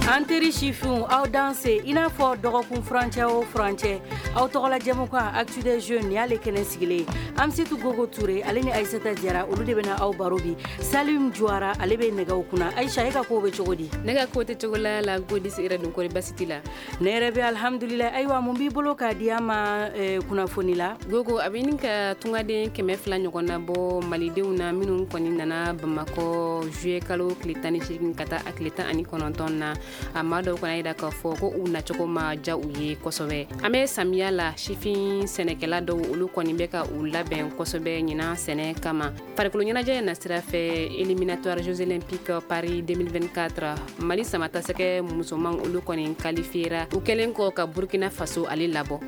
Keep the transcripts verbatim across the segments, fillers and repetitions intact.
An teri sifinw, aw danse. I n'a fɔ dɔgɔkun furancɛ o furancɛ, aw tɔgɔla jɛmukan Actu des jeunes, nin y'ale kɛnɛ sigilen. Amsetu Gogo Ture, ale ni Ayisata Jara, olu de bɛna aw baro bi. Salim Juwara, ale bɛ nɛgɛw kunna. Ayisa, e ka kow bɛ cogo di? Ne ka ko tɛ cogo la la, Godis yɛrɛ dun, kɔri basi t'i la? Ne yɛrɛ bɛ, alhamdulillah. Ayiwa, mun b'i bolo k'a di an ma eh, kunnafoni la? Gogo, a bɛ ɲini ka tungaden kɛmɛ fila ɲɔgɔn na bɔ malidenw na minnu kɔni nana Bamakɔ juillet kalo tile tan ni seegin ka taa a tile tan ani kɔnɔntɔn na. A maa dɔw kɔni yira k'a fɔ ko u nacogo ma ja u ye kosɛbɛ. An bɛ samiya la, sifin sɛnɛkɛla dɔw, olu kɔni bɛ ka u labɛn kosɛbɛ ɲinan sɛnɛ kama. Farikolo ɲɛnajɛ na sira fɛ, éliminatoire Jeux olympiques Paris deux mille vingt-quatre, Mali samatasɛgɛ musoman, olu kɔni qualifiera u kɛlen kɔ ka Burkina Faso ale labɔ.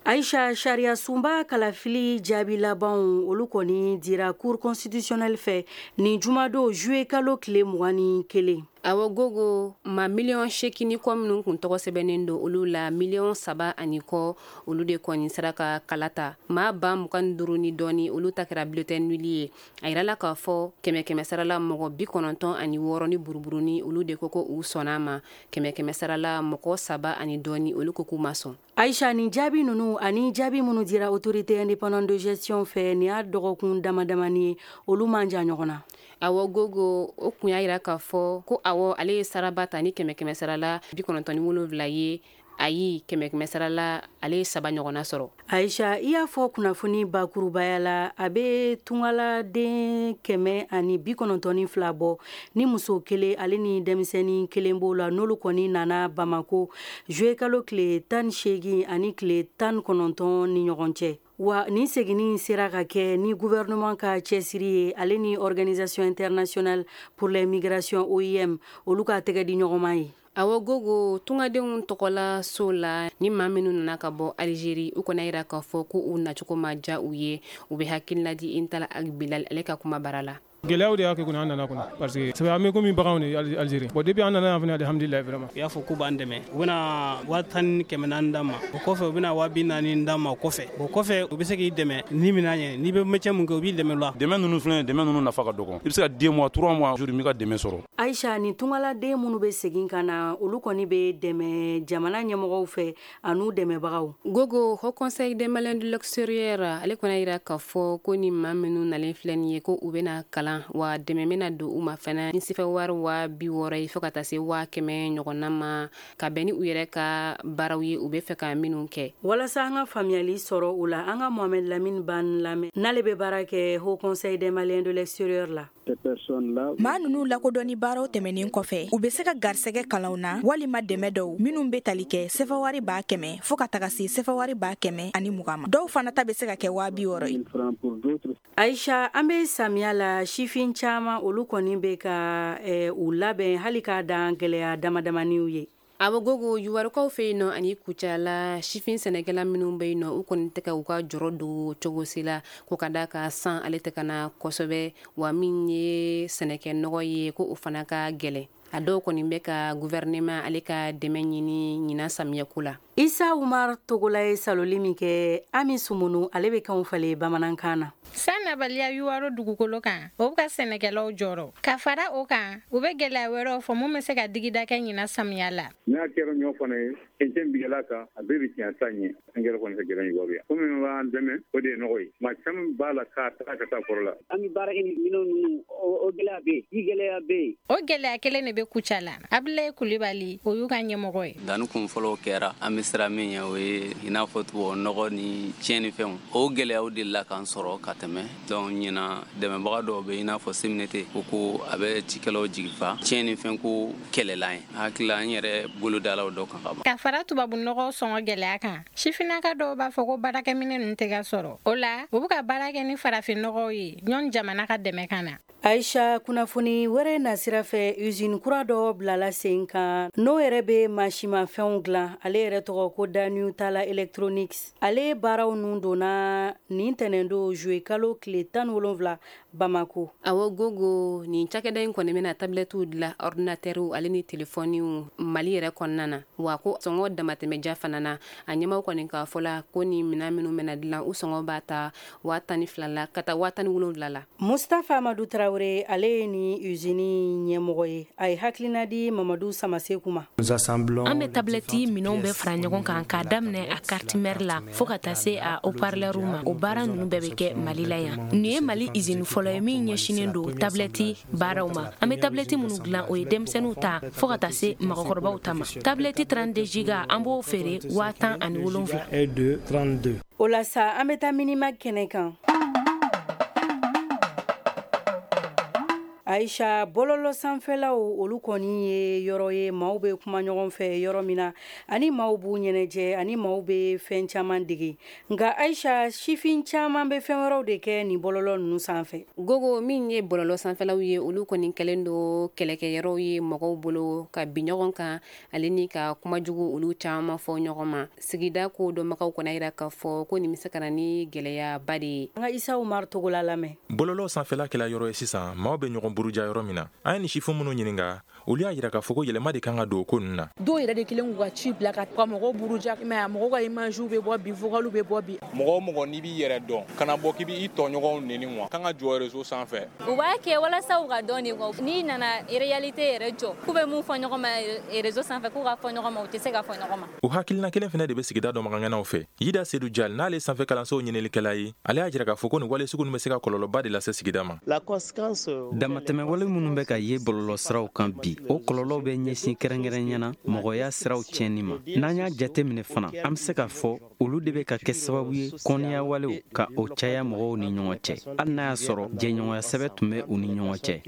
Aisha, sariya sunba kalafili jaabi labanw, olu kɔni dira Cour constitutionnelle fɛ nin jumadon juillet kalo tile mugan ni kelen. Awɔ Gogo, ma miliyɔn seegin ni kɔ minnu kun tɔgɔ sɛbɛnnen don, olu la miliyɔn saba ani kɔ, olu de kɔni sera ka kala ta. Maa ba mugan duuru ni dɔɔni, olu ta kɛra bulletin nul ye. A yirala k'a fɔ kɛmɛ kɛmɛ sarala, mɔgɔ bi kɔnɔntɔn ani wɔɔrɔ ni buruburuni, olu de ko ko u sɔnna ma. Kɛmɛ kɛmɛ sarala, mɔgɔ saba ani dɔɔni, olu ko k'u ma sɔn. Aisha, nin jaabi ninnu ani jaabi minnu dira Autorité indépendante de gestion fɛ nin y'a dɔgɔkun dama damani ye, olu man jan ɲɔgɔn na. Awɔ Gogo, o kun y'a yira k'a fɔ ko awɔ, ale ye saraba ta ni kɛmɛ kɛmɛ sarala bi kɔnɔntɔn ni wolonwula ye. Ayi, kɛmɛ kɛmɛ sarala, ale ye saba ɲɔgɔnna sɔrɔ. Aisha, i y'a fɔ kunnafoni bakurubaya la, a bɛ tungaladen kɛmɛ ani bi kɔnɔntɔn fila bɔ, ni muso kelen ale ni denmisɛnnin kelen b'o la, n'olu kɔni nana Bamako juillet kalo tile tan seegin ani tile tan kɔnɔntɔn ni ɲɔgɔn cɛ. Wa nin seginni sera ka kɛ ni gouvernement ka cɛsiri ye, ale ni Organisation internationale pour les migrations, O I M, olu ka tɛgɛ di ɲɔgɔnma ye. Awɔ Gogo, tungadenw tɔgɔla so la, ni maa minnu nana ka bɔ Alizeri, u kɔni yira k'a fɔ ko u nacogo ma ja u ye. U bɛ hakilina di Intala Ag Bilal, ale ka kuma bara la. Gɛlɛyaw de y'a kɛ kɔni an nana kɔnɔ, parce que sabu an bɛ komi baganw de Algérie. Bon, depuis an nana yan fana, alhamdulilayi, vraiment. U y'a fɔ k'u b'an dɛmɛ, u bɛna waa tan ni kɛmɛ naani d'an ma. O kɔfɛ, u bɛna waa bi naani d'an ma. O kɔfɛ o kɔfɛ u bɛ se k'i dɛmɛ ni minɛn ye. N'i bɛ métier mun kɛ, u b'i dɛmɛ o la. Dɛmɛ ninnu filɛ, dɛmɛ ninnu nafa ka dɔgɔ. I bɛ se ka deux mois, trois mois jour m'i ka dɛmɛ sɔrɔ. Aisha, ni tungaladen minnu bɛ segin ka na, olu kɔni bɛ dɛmɛ jamana ɲɛmɔgɔw fɛ an'u dɛmɛbagaw. Gogo, Haut Conseil des Maliens de l'extérieur, ale kɔni yira k'a fɔ ko ni maa minnu nalen filɛ nin ye, ko u bɛna kalan, wa dɛmɛ bɛna don u ma fana ni sifɛ wari waa bi wɔɔrɔ ye fo ka taa se waa kɛmɛ ɲɔgɔnna ma, ka bɛn ni u yɛrɛ ka baaraw ye, u bɛ fɛ ka minnu kɛ. Walasa an ka faamuyali sɔrɔ o la, an ka Mohamed Lamine Ban lamɛn, n'ale bɛ baara kɛ Haut Conseil des Maliens de l'extérieur la. Maa ninnu lakodɔnni baaraw tɛmɛnen kɔfɛ, u bɛ se ka garisɛgɛ kalanw na walima dɛmɛ dɔw minnu bɛ tali kɛ sefawari b'a kɛmɛ fɔɔ ka taga se sefawari b'a kɛmɛ ani mugan ma. Dɔw fana ta bɛ se ka kɛ waa bi wɔɔrɔ ye. Aisha, an bɛ samiya la, sifin caman, olu kɔni bɛ ka eh, u labɛn hali k'a dan gɛlɛya damadamaniw ye. Awɔ Gogo, Yuwarukaw fɛ yen nɔ ani Kucala, sifin sɛnɛkɛla minnu bɛ yen nɔ, u kɔni tɛ ka u ka jɔrɔ don cogo si la, ko ka da ka san ale tɛ ka na kosɛbɛ, wa min ye sɛnɛkɛ nɔgɔ ye, ko o fana ka gɛlɛn. A dɔw kɔni bɛ ka gouvernement ale ka dɛmɛ ɲini ɲinan samiyɛko la. Isa Umar Togola ye saloli min kɛ, Ami Sumunu, ale bɛ kanw falen bamanankan na. San nabaliya Yuwaro dugukolo kan, o bɛ ka sɛnɛkɛlaw jɔrɔ. Ka fara o kan, u bɛ gɛlɛya wɛrɛw fɔ mun bɛ se ka digida kɛ ɲinan samiya la. N'a kɛra ɲɔ fana ye, cɛncɛn bigɛla kan, a bɛɛ bɛ tiɲɛ san ɲɛ. Angɛrɛ kɔni ka gɛlɛn Yuwaru yan. Ko minnu b'an dɛmɛ, o de ye nɔgɔ ye. Maa caman b'a la k'a taga ka taa foro la. An bɛ baara kɛ ni minɛn ninnu, o gɛlɛya bɛ yen, ji gɛlɛya bɛ yen. O gɛlɛya kelen de bɛ Kucala. Abulaye Kulibali, o y'u ka ɲɛmɔgɔ ye. Danni kun fɔlɔw kɛra, an bɛ siran min ɲɛ, o ye i n'a fɔ tubabu nɔgɔ ni tiɲɛni fɛnw. O gɛlɛyaw delila k'an sɔrɔ ka tɛmɛ. Donc ɲinan, dɛmɛbaga dɔw bɛ, i n'a fɔ C M N T, ko ko a bɛ cikɛlaw jigi fa tiɲɛni fɛn ko kɛlɛlan ye. Hakili la, an yɛrɛ bolo dala o dɔ kan ka ban. Ka fara tubabu nɔgɔ sɔngɔ gɛlɛya kan, sifinnaka dɔw b'a fɔ ko baarakɛminɛ ninnu tɛ ka sɔrɔ. O la, u bɛ ka baara kɛ ni farafin nɔgɔw ye ɲɔni jamana ka dɛmɛ ka na. Aisha, kunnafoni wɛrɛ nasira fɛ, usine kura dɔ bilala sen kan, n'o yɛrɛ bɛ mansimafɛnw dilan. Ale yɛrɛ tɔgɔ ko Daniel Tala Electronics. Ale baaraw nun donna nin tɛnɛndo juillet kalo tile tan wolonwula Bamako. Awɔ Gogo, nin cakɛda in kɔni bɛna tablettew dilan, ordinateurw ale ni telefɔniw Mali yɛrɛ kɔnɔna na. Wa ko sɔngɔ damatɛmɛja fana na. A ɲɛmaw kɔni k'a fɔ la ko ni minɛn minnu bɛna dilan, u sɔngɔ b'a ta waa tan ni fila la ka taa waa tan ni wolonwula la. Mustafa Amadu Tarawele. Tarawele, ale ye ni usine ɲɛmɔgɔ ye. A ye hakilina di Mamadu Samaseku ma. An bɛ tablette minɛnw bɛɛ fara ɲɔgɔn kan k'a daminɛ a carte mère la fo ka taa se a haut-parleur ma. O baara ninnu bɛɛ bɛ kɛ Mali la yan. Nin ye Mali usine fɔlɔ ye min ɲɛsinnen don tablette baaraw ma. An bɛ tablette minnu dilan, o ye denmisɛnninw ta fo ka taa se mɔgɔkɔrɔbaw ta ma. Tablette trente-deux giga, an b'o feere waa tan ani wolonwula. O la sa, an bɛ taa minima kɛnɛ kan. Aisha, bɔlɔlɔ sanfɛlaw, olu kɔni ye yɔrɔ ye maaw bɛ kuma ɲɔgɔn fɛ yɔrɔ min na, ani maaw b'u ɲɛnajɛ, ani maaw bɛ fɛn caman dege. Nka Aisha, sifin caman bɛ fɛn wɛrɛw de kɛ nin bɔlɔlɔ ninnu sanfɛ. Gogo, min ye bɔlɔlɔ sanfɛlaw ye, olu kɔni kɛlen don kɛlɛkɛyɔrɔw ye mɔgɔw bolo ka bin ɲɔgɔn kan ale ni ka kumajugu olu caman fɔ ɲɔgɔn ma. Sigida ko dɔnbagaw kɔni yira k'a fɔ ko nin bɛ se ka na ni gɛlɛyaba de ye. An ka Isa Umar Togola lamɛn. Bɔlɔlɔ sanfɛla kɛla yɔrɔ ye sisan maaw bɛ ɲɔgɔn buruja yɔrɔ min na. An ye nin sifin minnu ɲininka, olu y'a yira k'a fɔ ko yɛlɛma de kan ka don o ko ninnu na. Dɔw yɛrɛ de kelen k'u ka ci bila ka mɔgɔw buruja, mais mɔgɔw ka image bɛ bɔ bi, vocal bɛ bɔ bi. Mɔgɔ o mɔgɔ n'i b'i yɛrɛ dɔn, kana bɔ k'i b'i tɔɲɔgɔnw neni wa kan ka jɔ réseau sanfɛ. U b'a kɛ walasa u ka dɔn de kɔ. N'i nana réalité yɛrɛ jɔ, k'u bɛ mun fɔ ɲɔgɔn ma réseau sanfɛ, k'u ka fɔ ɲɔgɔn ma, u tɛ se ka fɔ ɲɔgɔn ma. O hakilina kelen fana de bɛ sigida dɔnbagaŋanaw fɛ. Yida Sedu Jal, n'ale sanfɛ kalansow ɲininikɛla ye, ale y'a jira k'a fɔ ko nin wale sugu ninnu bɛ se ka kɔlɔlɔba de lase sigida ma. Damatɛmɛwale minnu bɛ ka ye bɔlɔlɔsiraw kan bi, o kɔlɔlɔw bɛ ɲɛsin kɛrɛnkɛrɛnya na mɔgɔya siraw tiɲɛni ma. N'an y'a jate minɛ fana, an bɛ se k'a fɔ olu de bɛ ka kɛ sababu ye kɔniyawalew ka o caya mɔgɔw ni ɲɔgɔn cɛ, hali n'a y'a sɔrɔ jɛɲɔgɔnya sɛbɛ tun bɛ u ni ɲɔgɔn cɛ.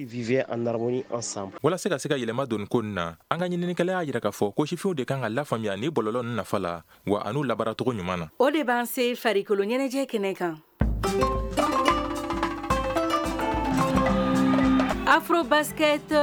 Walasa ka se ka yɛlɛma don ko nin na, an ka ɲininikɛla y'a jira k'a fɔ ko sifinw de kan ka lafaamuya ni bɔlɔlɔ ninnu nafa la, wa an'u labaaracogo ɲuman na. O de b'an se farikolo ɲɛnajɛ kɛnɛ kan. Afrobasket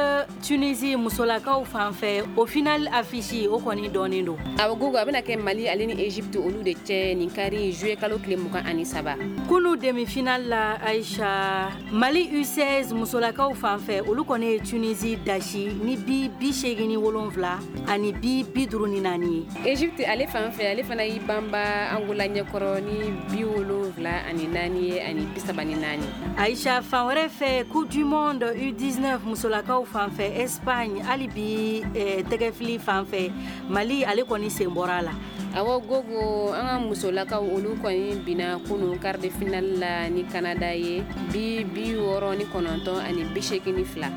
Tunisie musolakaw fan fɛ, o final affiche o kɔni dɔnnen don. Awɔ Gogo, a bɛna kɛ Mali ale ni Egypte olu de cɛ nin kari juillet kalo tile mugan ani saba. Kunu demi-finale la Aisha, Mali U seize musolakaw fan fɛ, olu kɔni ye Tunisie dasi ni bi bi seegin ni wolonwula ani bi bi duuru ni naani ye. Egypte ale fan fɛ, ale fana y'i banba Angola ɲɛkɔrɔ ni bi wolonwula ani naani ye ani bi saba ni naani. Aisha, fan wɛrɛ fɛ, Coupe du monde U dix-neuf musolakaw fan fɛ, Espagne hali bi eh, tɛgɛfili fan fɛ, Mali ale kɔni sen bɔra a la. Awɔ Gogo, an ka musolakaw olu kɔni binna kunu quart de finale la ni Canada ye bi bi wɔɔrɔ ni kɔnɔntɔn ani bi seegin ni fila.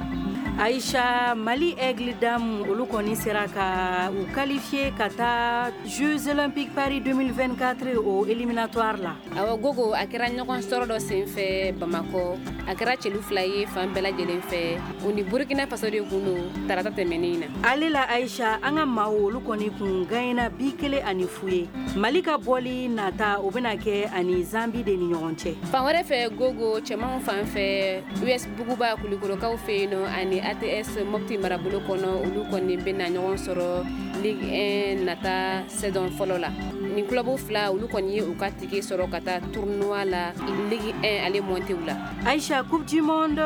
Aisha, Mali Aigle Dame olu kɔni sera ka u qualifier ka taa Jeux Olympiques Paris deux mille vingt-quatre o éliminatoire la. Awɔ Gogo, a kɛra ɲɔgɔn sɔrɔ dɔ sen fɛ Bamakɔ. A kɛra celu fila ye fan bɛɛ lajɛlen fɛ. U ni Burkina Faso de kun don tarata tɛmɛnen na. Ale la Aisha, an ka maaw olu kɔni kun gagnera bi kelen ani fu ye. Mali ka bɔli nata, o bɛna kɛ ani Zambie de ni ɲɔgɔn cɛ. Fan wɛrɛ fɛ Gogo, cɛmanw fan fɛ, U S Buguba Kulikɔrɔkaw fɛ yen nɔ ani A T S Mopti marabolo kɔnɔ, olu kɔni bɛna ɲɔgɔn sɔrɔ Ligue un nata saison fɔlɔ la. Nin club fila olu kɔni ye u ka ticket sɔrɔ ka taa tournoi la Ligue un ale monté la. Aisha, Coupe du monde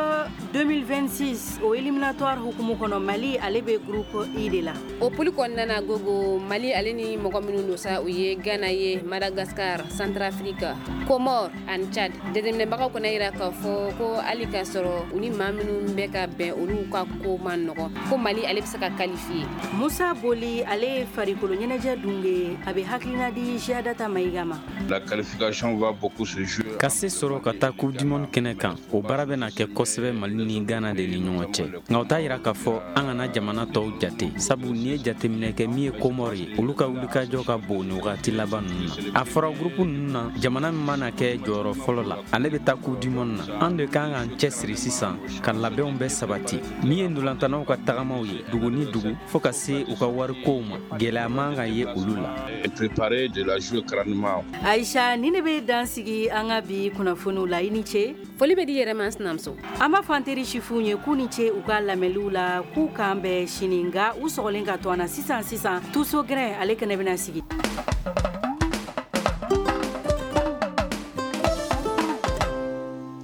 deux mille vingt-six o éliminatoire hukumu kɔnɔ, Mali ale bɛ groupe I de la. O poule kɔnɔna na Gogo, Mali ale ni mɔgɔ minnu don sa, u ye Ghana ye, Madagascar, Centrafrique, Comores ani Tchad. Jateminɛbagaw kɔni yira k'a fɔ ko hali k'a sɔrɔ u ni maa minnu bɛ ka bɛn olu ka ko man nɔgɔn, ko Mali ale bɛ se ka qualifier. Musa Boli, ale ye farikolo ɲɛnajɛ dunge, a bɛ hakilina di Jadata Mayiga ma. La qualification va beaucoup se jouer. Ka se sɔrɔ ka taa Coupe du monde kɛnɛ kan, o baara bɛna kɛ kosɛbɛ Mali ni Ghana de ni ɲɔgɔn cɛ. Nka o t'a yira k'a fɔ an kana jamana tɔw jate, sabu n'i ye jateminɛ kɛ min ye Comores ye, olu ka wulikajɔ ka bon nin wagati laban ninnu na. A fɔra groupe ninnu na, jamana min mana kɛ jɔyɔrɔ fɔlɔ la, ale bɛ taa Coupe du monde na. An de kan k'an cɛsiri sisan ka labɛnw bɛɛ sabati. Min ye ntolantanaw ka tagamaw ye dugu ni dugu fo ka se u ka warikow ma, gɛlɛya man ka ye olu la. Préparer de la jouer crânement. Aisha, ni ne bɛ dan sigi an ka bi kunnafoniw la, i ni ce. Foli bɛ di yɛrɛ ma sinamuso. An b'a fɔ an teri sifinw ye k'u ni ce u ka lamɛnliw la, k'u k'an bɛn sini, nka u sɔgɔlen ka to an na sisan sisan. Tuso gɛrɛ ale kɛnɛ bɛna sigi.